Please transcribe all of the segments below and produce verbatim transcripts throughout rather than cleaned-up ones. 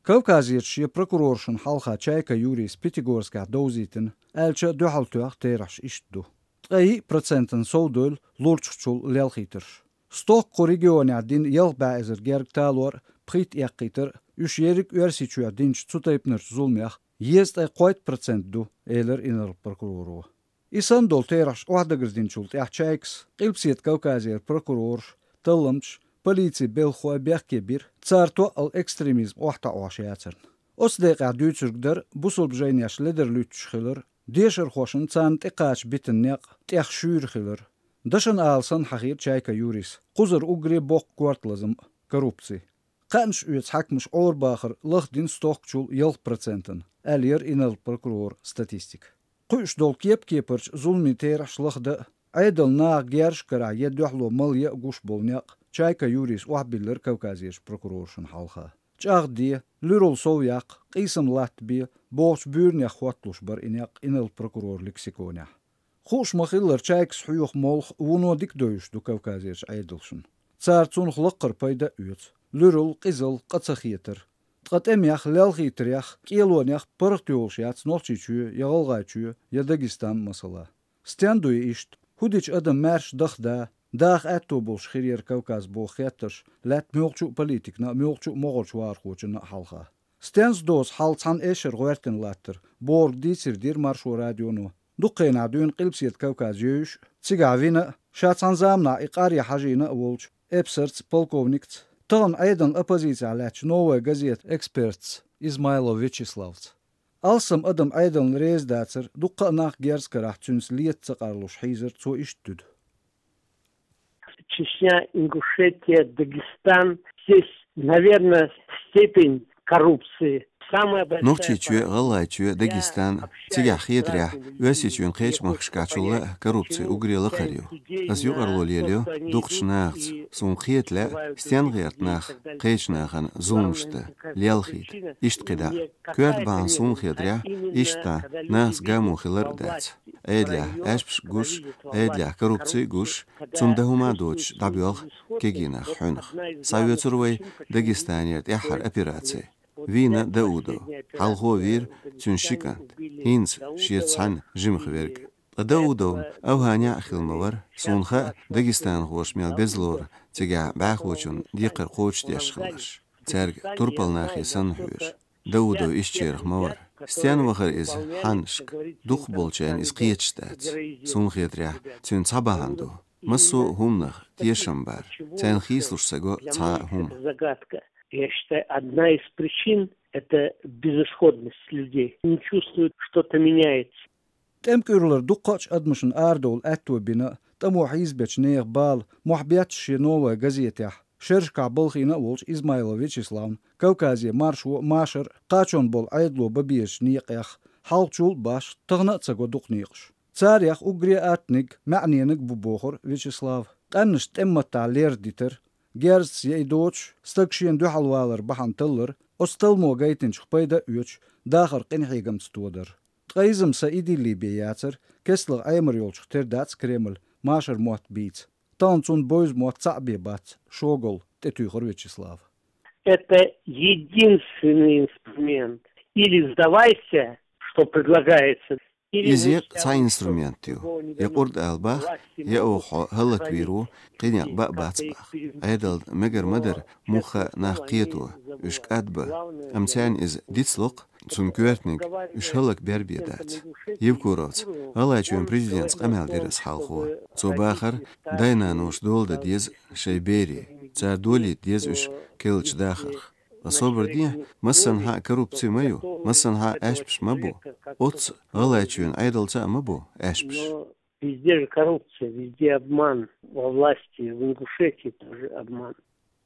Кавказерчу шен прокуроршна хьалха Чайка Юрийс Пятигорскехь довзийтина, аьлча а дуьхьал тоьхна, терахьаш иштта ду. Ткъе йиъ процентана совдевлла лурчахчул лелхийтарш. Стохка кху регионехь дина ялх бӀе эзар герга талор а, пхийтта эккхийтар а, уьш ерриг а Оьрсийчохь динчу цу тайпанарчу зуламех езткъе кхойтта процент ду, элира инарла прокуроро. И санна долу терахьаш охьадагардинчул тӀаьхьа Чайкас Къилбаседа Кавказера прокурораш, талламчаш, полицин белхахой бехке бира, цара тоъал экстремизм охьатаӀош яцарна. Оцу декъехь дуьйцург дара бусалба жайнеш ледарлуьттуш хилар, дешархошна царна тӀекхача битина некъ тӀех шуьйра хилар. Дашна ала санна хьахийра Чайка Юрийс кхузара уггаре боккха корта лазам а — коррупци. Кхаьънаш оьцу хьаькамаш Ӏорабахар лахдина стохкачул ялх процентана, аьлла яра инарла прокурора статистика. Кхуьуш долу кеп-кепарчу зуламийн терахьаш лахдан а, Ӏедална наха герзаш карахь я дуьхьало мала ян а гуш болу некъ Чайка Юрийс охьабиллира Кавказерчу прокуроршна хьалха. ЧӀагӀде, луьралла сов яккха, къийсам латтабе бохучу буьйранех хӀотталуш бара и некъ инарла прокурора лексиконехь. Хууш ма-хиллара, Чайкас хьоьху молха вуно дика довзуш ду Кавказерчу Ӏедалшна. Цара цунах лаккхара пайда а оьцу: луьралла, къизалла, къа ца хетар. Ткъа тӀемех, лелхийтарех, кӀелонех паргӀат йолуш яц Нохчийчоь я ГӀалгӀайчоь я Дагестан, масала. Стенна ду и иштта? ХӀун дича адам маьрша даха да, даха аьтто болуш хир яра Кавказ боху хеттарш лаьтта муьлххачу а политикана а, муьлххачу а могӀарчу вахархочунна а хьалха? Стенца доцу хьал цхьана эшшара гӀоьртина латтар бохург дийцар дира Маршо радионо дукха хенахь дуьйна Къилбаседа Кавказ евзаш а, цигахь вина а, ша цхьана заманахь и къар ян хьажийна а волчу эпсарца, полковникца, тахана Ӏедална оппозицехь лаьттачу «Новая газета» экспертца Измайлов Вячеславца. Алссам адам Ӏедална реза дацар дуккха а нах герз карахь цуьнца лета ца къарлуш хьийзар цо иштта дуьду. Чечня, Ингушетия, Дагестан. Здесь, наверное, степень коррупции самая большая. Нохчийчоь, ГӀалгӀайчоь, Дагестан, цигахь хетарехь, Оьрсийчоьнан кхечу махкашкахь чулла а коррупци уггаре лакхара ю. Ас юкъарло лелайо дукхачу нахаца, суна кхета лаьа, стенна гӀерта нах кхечу нахана зуламаш дан, лелхийта, иштта кхидӀа а. Коьрта бахьана суна хетарехь, иштта нахаца гамо хилар а дац. Ӏедалехь аьшпаш гуш, Ӏедалехь коррупци гуш, цунна дан хӀума доцуш дӀабоьлху кегий нах хьуьнах. Схьавоьцур вай Дагестанера тӀаьххьара операци. Вийна Даудов. Хьалхо вийра цуьнан ши кӀант, хӀинца шеца цхьаьна жимах верг. Ткъа Даудовна Афганехь а хилла ма вара, суна хаьа, дагестанхоша мел безалора цигахь бӀаьхочунна декхар кхочушдеш хиларш, цаьрга турпал нахе санна хьоьжуш. Даудов ишттачарах ма вара. Стенна вахара иза хьаннашка? Дукхахболчарна иза кхеташ дац. Суна хетарехь, цуьнан цхьа бахьана ду: массо а хӀуманах тешам бар, царна хийцалуш ца го цхьа а хӀума. Загадка. Я считаю, одна из причин — это безысходность людей. Не чувствуют, что-то меняется. ТӀемкуьрлара дуккхачу адамашна арадовла аьтто бина а, тӀамо хьийзабечу нехан бала мохь бетташ шен «Новая газетехь», шерашкахь балхийна а волчу Измайлов Вячеславна, Кавказе маршо а, машар а, кхачонна болу Ӏедало бан безачу некъех, хьалхачул а башха, тахана а ца го дукха некъаш. Царех уггаре аттаниг, маьӀнениг бу, бохура Вячеслава. Къаьмнашна тӀеман маттахь лердитар, герзаца я и доцуш, стаг шена дуьхьал валар бахьана таллар, оцу талламо гайтинчух пайда а оьцуш, дахар къинхьегамца тодар. Ткъа иза-м са идиллий бен яцара, кестлагӀа Ӏемар йолчух тера дац Кремль машар мотт бийца. Тахана цунна бевза мотт цхьаъ бен бац, шогалла, тӀетуьйхира Вячеслава. Это единственный инструмент. Или сдавайся, что предлагается, или... Иза я цхьа инструмент ю. Я къурд ала бах, я оха хьо хӀаллаквийр ву, кхин некъ бан а бац бах. Ӏедална мегар ма дара муха а нах кхето, уьш кӀадбан, амма царна иза дицло-кх, цунна коьртаниг уьш хӀаллакбер бен дац. Евкуровца, ГӀалгӀайчоьнан президентца къамел дира ас хьалхо. Цо бахара, дай-наноша дола дан деза шайн берийн, цара долийта деза уьш керлачу дахарх. Ткъа собар де, массанхьа а коррупци ма ю, массанхьа а аьшпаш ма бу. Оццу ГӀалгӀайчоьнан Ӏедалца а ма бу аьшпаш. Но везде же коррупция, везде обман. Во власти, в Ингушетии тоже обман.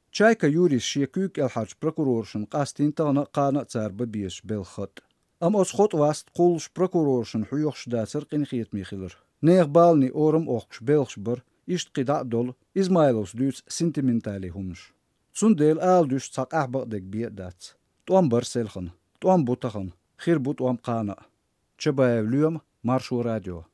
Чайка Юрийс шен куьйга кӀелхьарчу прокуроршна къастийна тахана а, кхана а цара бан безачу белхан хатӀ. Амма оцу хотӀа васт кхуллуш прокуроршна хьоьхуш дацара къинхетаме хилар. Нехан баланийн орам а охкуш белхаш бара, иштта кхидӀа а долу, Измайловс дуьйцу сентиментале хӀуманаш. Цундела ала дуьсуш цхьа къаьхьа бакъдерг бен а дац. ТӀом бара селхана, тӀом бу тахана, хир бу тӀом кхана а. Чабаев Лоьма, Маршо радио.